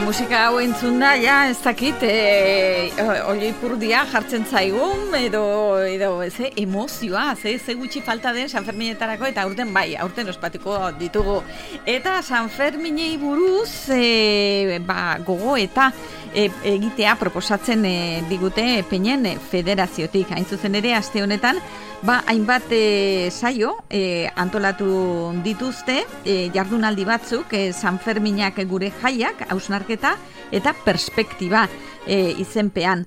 musika hau entzun da, ja, ez dakit, olioipurdia jartzen zaigun, edo emozioa, ze gutxi falta den San Ferminetarako, eta aurten ospatuko ditugu. Eta San Ferminei buruz, gogo eta egitea proposatzen digute Peinen Federaziotik. Hain zuzen ere, aste honetan, hainbat saio antolatu dituzte, jardunaldi batzuk, San Ferminak gure jaiak, hausnarketa eta perspektiba izenpean.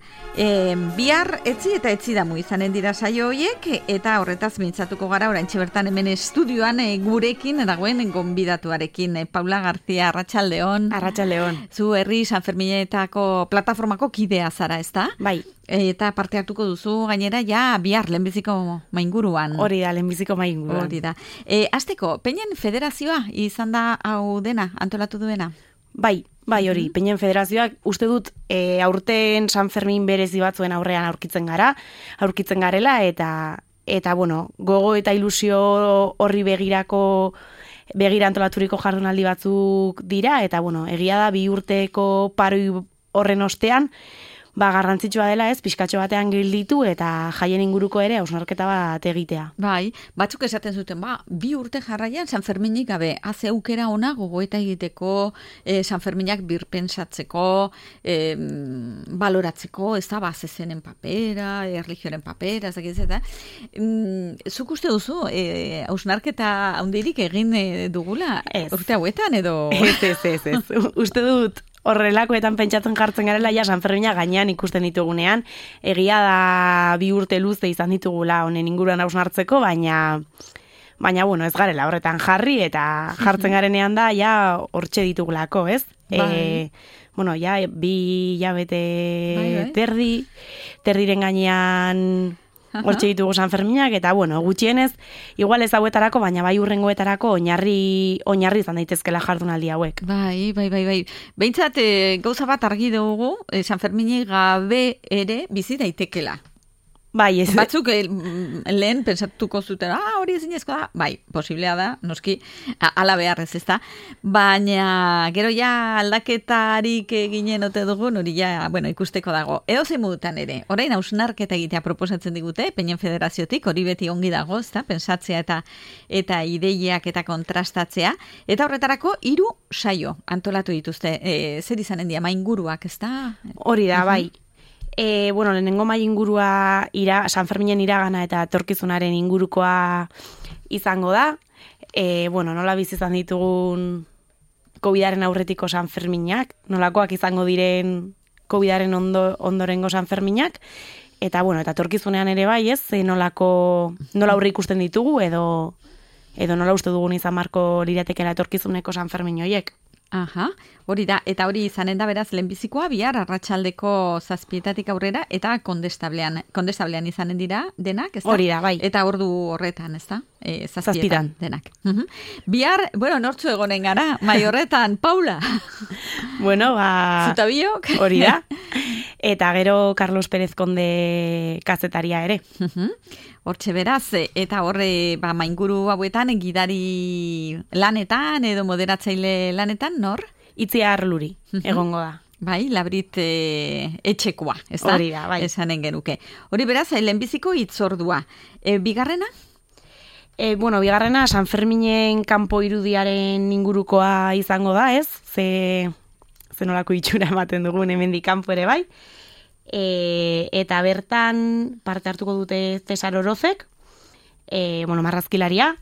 Bihar etzi damu izanen dira saio horiek, eta horretaz mintzatuko gara oraintxe bertan hemen estudioan gurekin dagoen gonbidatuarekin. Paula García, arratsaldeon. Arratsaldeon. Zu herri San Ferminetako plataformako kidea zara, ezta? Bai. Eta parte hartuko duzu gainera ja bihar lehenbiziko mainguruan. Hori da, lehenbiziko mainguruan. Hori da. Azteko, Peinen Federazioa izan da hau dena, antolatu duena? Bai, hori. Peinen Federazioak uste dut aurten San Fermin berezi batzuen aurrean aurkitzen garela, eta bueno, gogo eta ilusio horri begira antolaturiko jardunaldi batzuk dira, eta bueno, egia da 2 urteko paroi horren ostean, garrantzitsua dela pixkatxo batean gelditu eta jaien inguruko ere hausnarketa bat egitea. Bai, batzuk esaten zuten, 2 urte jarraian San Ferminik gabe, haze aukera ona gogoeta egiteko, San Ferminak birpensatzeko, baloratzeko, ez da, zezenen papera, erlijioaren papera, ez dakiz eta. Zuk uste duzu, hausnarketa handirik egin dugula urte hauetan edo? Ez. Uste dut, horrelakoetan pentsatzen jartzen garela, San Fermina gainean ikusten ditugunean, egia da 2 urte luze izan ditugula honen inguruan hausnartzeko, baina bueno, ez garela horretan jarri, eta jartzen garenean da, hortxe ditugulako, ez? Bueno, 2 hilabete terdiren gainean hortxe ditugu San Ferminak, eta bueno, gutxienez, igual ez hauetarako, baina bai hurrengoetarako oinarri izan daitezkela jardunaldi hauek. Bai. Behintzat, gauza bat argi dugu, San Ferminik gabe ere bizi daitekela. Bai, ez. Batzuk lehen pensatuko zuten, hori ezinezkoa da. Bai, posiblea da, noski, ala beharrez ez da. Baina, gero aldaketarik ginen ote dugun, hori ikusteko dago. Edozein modutan ere, orain hausnarketa egitea proposatzen digute, Peinen Federaziotik, hori beti ongi dago, ez da, pentsatzea eta ideiak eta kontrastatzea. Eta horretarako 3 saio antolatu dituzte. Zer izanen dira, mainguruak, ez da? Hori da, bai. Bueno, lehenengo mai ingurua San Ferminen iragana eta etorkizunaren ingurukoa izango da. Bueno, nola bizi izan ditugun COVIDaren aurretiko San Ferminak, nolakoak izango diren COVIDaren ondorengo San Ferminak, eta bueno, eta etorkizunean ere bai, nola aurre ikusten ditugu, edo nola uste dugun izan marko liratekela etorkizuneko San Fermin horiek. Aha, hori da, eta hori izanen da beraz lehenbizikoa bihar arratsaldeko 7:00 aurrera, eta kondestablean izanen dira denak, ez da? Hori da, bai. Eta ordu horretan, ez da? 7:00 denak. Bihar, nortzu egonen gara, mai horretan, Paula? Bueno, Zutabiok? Hori da. Eta gero Carlos Pérez Konde kazetaria ere. Hortxe beraz, eta horre mainguru hauetan, gidari lanetan edo moderatzaile lanetan, nor? Itziar Luri, egongo da. Bai, Labrit etxekoa, ez da? Hori da, bai. Esanen genuke. Hori beraz, lehenbiziko hitzordua. Bigarrena? Bueno, bigarrena San Ferminen kanpo irudiaren ingurukoa izango da, ez? Ze nolako itxura ematen dugun hemendik kanpo ere bai. Eta bertan parte hartuko dute Cesar Orozek, marrazkilaria,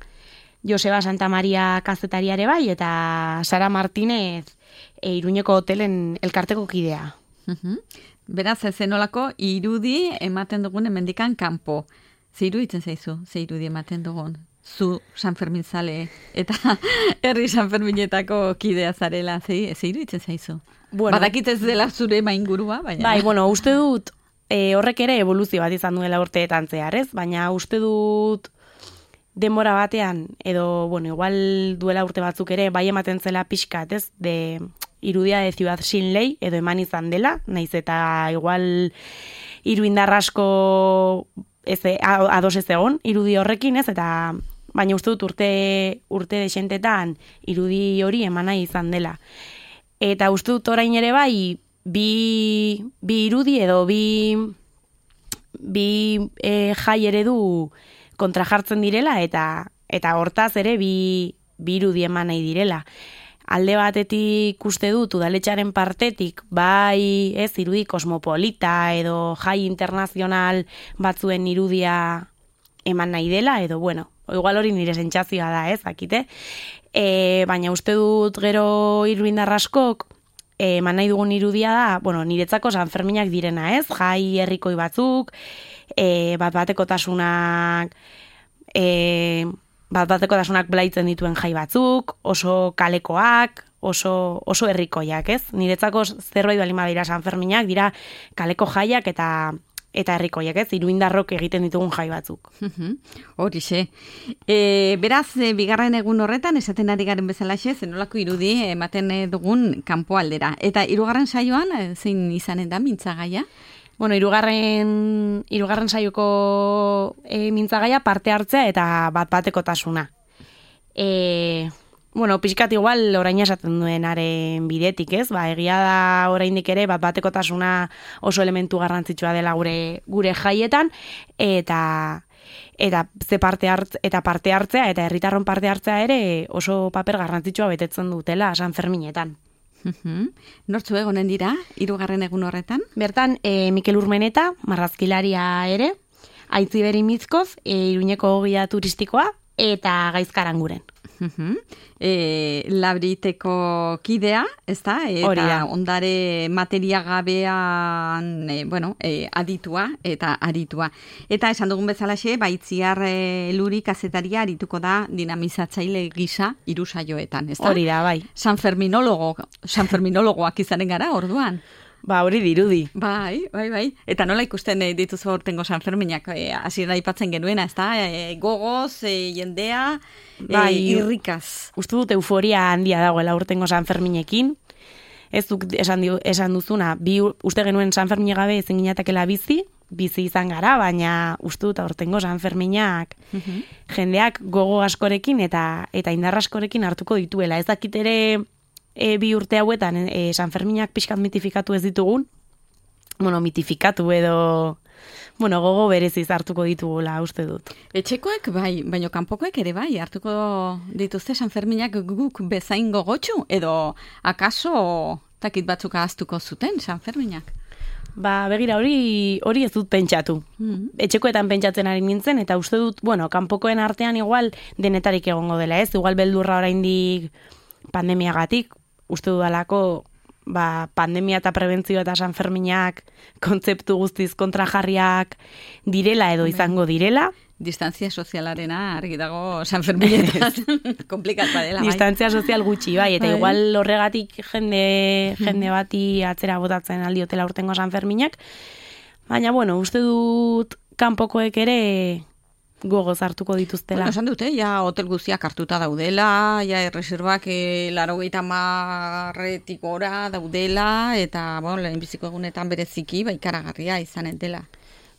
Joseba Santa Maria kazetariare bai, eta Sara Martínez Iruñeko hotelen elkarteko kidea. Beraz, zenolako irudi ematen dugun hemendikan kanpo. Ze iruditzen zaizu, ze irudi ematen dugun? Zu San Fermin zale eta herri San Ferminetako kidea zarela, ze iruditzen zaizu? Bueno, badakit ez dela zure maingurua, baina... Bai, uste dut horrek ere evoluzio bat izan duela urteetan zehar, ez? Baina uste dut denbora batean, edo, igual duela urte batzuk ere, bai ematen zela pixkat, ez? Irudia de Ciudad Sin Ley, edo eman izan dela, naiz eta igual iruindar asko ados ez egon, irudi horrekin, ez? Eta baina uste dut urte desentetan irudi hori emana izan dela. Eta uste dut orain ere bai, bi irudi edo bi jai eredu kontrajartzen direla eta hortaz ere bi irudi eman nahi direla. Alde batetik uste dut udaletxaren partetik bai irudi kosmopolita edo jai internazional batzuen irudia eman nahi dela edo igual hori nire sentsazioa da, akite. Baina uste dut gero iruindar askok eman nahi dugun irudia da, niretzako Sanferminak direna, jai herrikoi batzuk, bat-batekotasunak blaitzen dituen jai batzuk, oso kalekoak, oso herrikoiak, Niretzako zerbait baldin badira Sanferminak, dira kaleko jaiak eta herrikoiak, iruindarrok egiten ditugun jai batzuk. Horixe. Beraz, bigarren egun horretan, esaten ari garen bezalaxe, zenolako irudi ematen dugun kanpoaldera. Eta hirugarren saioan, zein izanen da mintzagaia? Hirugarren saioko mintzagaia parte hartzea eta bat-batekotasuna. Pixkat igual orain esaten duenaren bidetik, egia da oraindik ere bat-batekotasuna oso elementu garrantzitsua dela gure jaietan, eta parte hartzea eta herritarron parte hartzea ere oso paper garrantzitsua betetzen dutela Sanferminetan. Nortzu egonen dira, hirugarren egun horretan? Bertan, Mikel Urmeneta, marrazkilaria ere, Aitziber Imizkoz, Iruñeko ogia turistikoa, eta Gaizkaranguren. Labriteko kidea, ezta? Eta ondare materiagabean, aditua eta aritua. Eta esan dugun bezalaxe, Itziar Luri kazetaria arituko da dinamizatzaile gisa hiru saioetan, ezta? Hori da, bai. Sanferminologoak izanen gara, orduan. Hori dirudi. Bai. Eta nola ikusten dituzu aurtengo Sanferminak, hasieran aipatzen genuena, ezta? Gogoz, jendea, irrikaz. Uste dut euforia handia dagoela aurtengo Sanferminekin. Ez duk esan duzuna, uste genuen Sanfermine gabe ezin ginatekela bizi izan gara, baina uste dut aurtengo Sanferminak jendeak gogo askorekin eta indar askorekin hartuko dituela. Ez dakit ere bi urte hauetan Sanferminak pixkat mitifikatu ez ditugun, mitifikatu edo gogo bereziz hartuko ditugula uste dut. Etxekoek bai, baina kanpokoek ere bai, hartuko dituzte Sanferminak guk bezain gogotsu, edo akaso takit batzuk ahaztuko zuten Sanferminak? Begira hori ez dut pentsatu. Etxekoetan pentsatzen ari nintzen, eta uste dut, kanpokoen artean igual denetarik egongo dela, igual beldurra oraindik pandemiagatik, uste dudalako pandemia eta prebentzio eta Sanferminak kontzeptu guztiz kontrajarriak direla edo izango direla. Distantzia sozialarena argi dago Sanferminetan komplikatua dela. Distantzia sozial gutxi, bai, eta igual horregatik jende bati atzera botatzen aldiotela urtengo Sanferminak. Baina, uste dut kanpokoek ere gogoz hartuko dituztela. Esan dute, hotel guztiak hartuta daudela, erreserbak 90 gora daudela, eta lehenbiziko egunetan bereziki, ikaragarria izanen dela.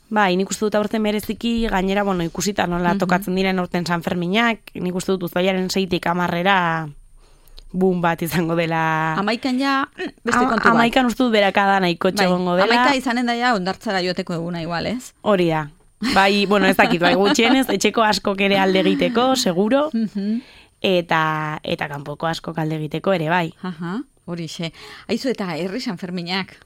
Nik uste dut aurten bereziki, gainera, ikusita nola tokatzen diren aurten Sanferminak, nik uste dut uztailaren 6tik 10 boom bat izango dela. Amaikan beste kontu bat. Amaikan uste dut berakada nahiko txegongo dela. Amaika izanen da ondartzara joateko eguna igual, ez? Hori da. Ez dakit, gutxienez, etxeko askok ere alde egiteko, seguro, eta kanpoko askok alde egiteko ere, bai. Horixe. Aizu eta herri Sanferminak,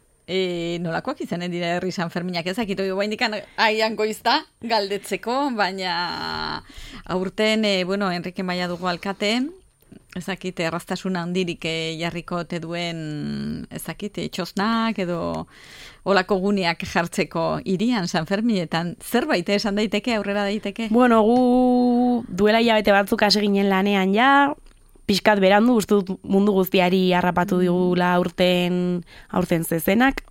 nolakoak izanen dira herri Sanferminak, ez dakit, baindikan aian goizta galdetzeko, baina aurten, Enrique Maia dugu alkate, ez dakit, erraztasuna handirik jarriko te duen, ez dakit, txosnak edo olako guneak jartzeko irian Sanferminetan, zerbait esan daiteke, aurrera daiteke? Gu duela hilabete batzuk hasi ginen lanean pixkat berandu, uste dut mundu guztiari harrapatu digula aurten zezenak.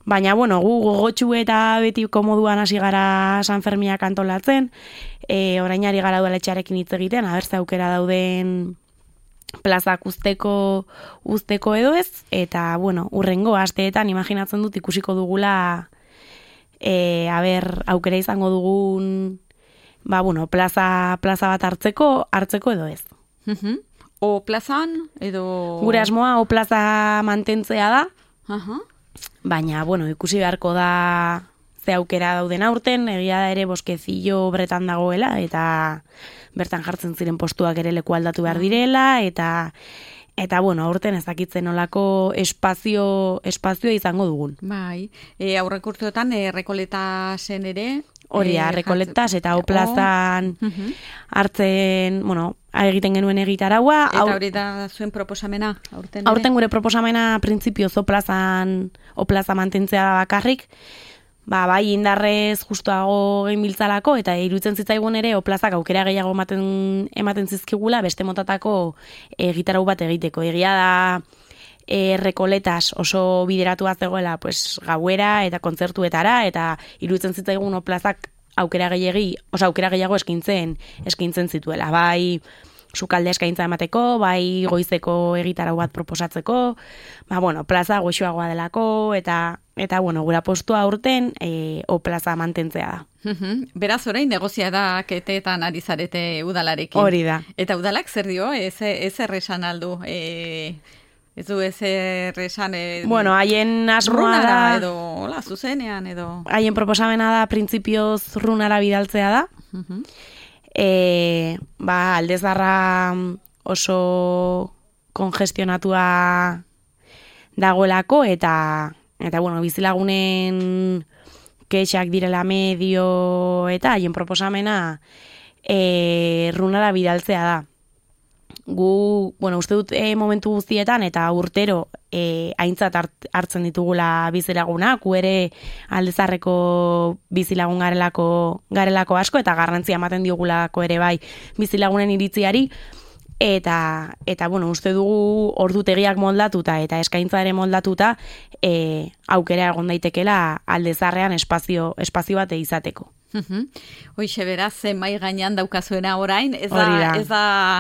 Baina, gu gogotxu eta beti komoduan hasi gara Sanferminak antolatzen, orainari gara udaletxearekin hitz egiten, abertze aukera dauden plazak usteko edo ez, eta, urrengo asteetan imaginatzen dut ikusiko dugula aukera izango dugun plaza bat hartzeko edo ez. O plazan, edo... Gure asmoa O plaza mantentzea da, Aha. baina, bueno, ikusi beharko da ze aukera dauden aurten, egia da ere boskezillo bretan dagoela, eta bertan jartzen ziren postuak ere leku aldatu behar direla, eta bueno, aurten ez dakitzen olako espazioa izango dugun. Bai, aurrek urteotan Rekoletasen ere... Hori da, Rekoletas eta O plazan hartzen, bueno, egiten genuen egitaraua. Eta hori da zuen proposamena, aurten ere? Aurten gure proposamena printzipioz O plaza mantentzea da bakarrik, bai indarrez justuago genbiltzalako, eta iruditzen zitzaigun ere O plazak aukera gehiago ematen zizkigula beste motatako egitarau bat egiteko. Egia da Rekoletas oso bideratua zegoela pues, gauera eta kontzertuetara, eta iruditzen zitzaigun O plazak aukera gehiago eskintzen zituela. Bai sukalde eskaintza emateko, bai goizeko egitarau bat proposatzeko, plaza goxoagoa delako, eta bueno, gura postua aurten O plaza mantentzea da. Beraz, orain negoziaketetan ari zarete udalarekin. Hori da. Eta udalak zer dio? Ez erresan aldu? Ez du ez erresan... Bueno, haien asmoa da... edo, hola, zuzenean, edo... Haien proposamena da, printzipioz runara bidaltzea da. Aldezarra oso kongestionatua dagoelako, eta bueno, bizilagunen kexak direla medio, eta haien proposamena runara bidaltzea da. Gu, bueno, uste dut momentu guztietan eta urtero aintzat hartzen ditugula bizilagunak, gu ere aldezarreko bizilagun garelako asko, eta garrantzia ematen diogulako ere bai bizilagunen iritziari, eta bueno, uste dugu ordutegiak moldatuta eta eskaintza ere moldatuta aukera egon daitekela aldezarrean espazio bat izateko. Hoixe beraz, mai gainean daukazuena orain, ez da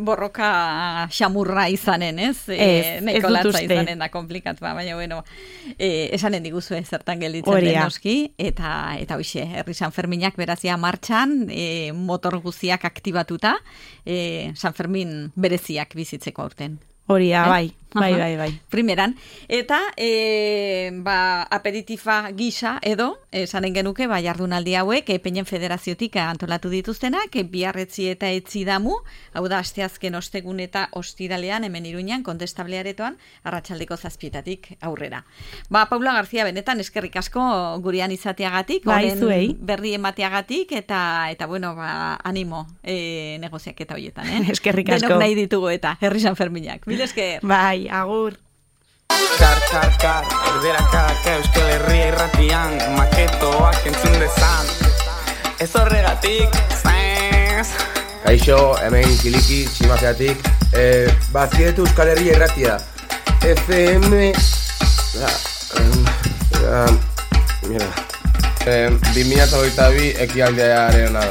borroka xamurra izanen, ez? Neko latza izanen da komplikatua, baina bueno, esanen diguzue zertan gelditzen den noski, eta hoixe, herri San Ferminak berazia martxan, motor guziak aktibatuta, San Fermin bereziak bizitzeko aurten. Hori da, bai. Primeran. Eta, aperitifa gisa edo, esanen genuke, jardunaldi hauek, Peinen Federaziotik antolatu dituztenak, biarretzi eta etzi damu, hau da, asteazken ostegun eta ostiralean, hemen Iruñan, Kontestablearetoan, arratsaldeko 7:00 aurrera. Paula García, benetan, eskerrik asko gurean izateagatik, zuei. Berri emateagatik, eta bueno, animo negoziaketa horietan, Eskerrik asko. Denok nahi ditugu eta, herri San Ferminak. Mil esker. Bai, agur. Kar, erderakak Euskal Herria irratian, maketoak entzun dezan. Ez horregatik, zaiz. Kaixo, hemen Kiliki, Tximazeatik. Bazietu Euskal Herria irratia. FM... Mira. 2022 ekialdearen da.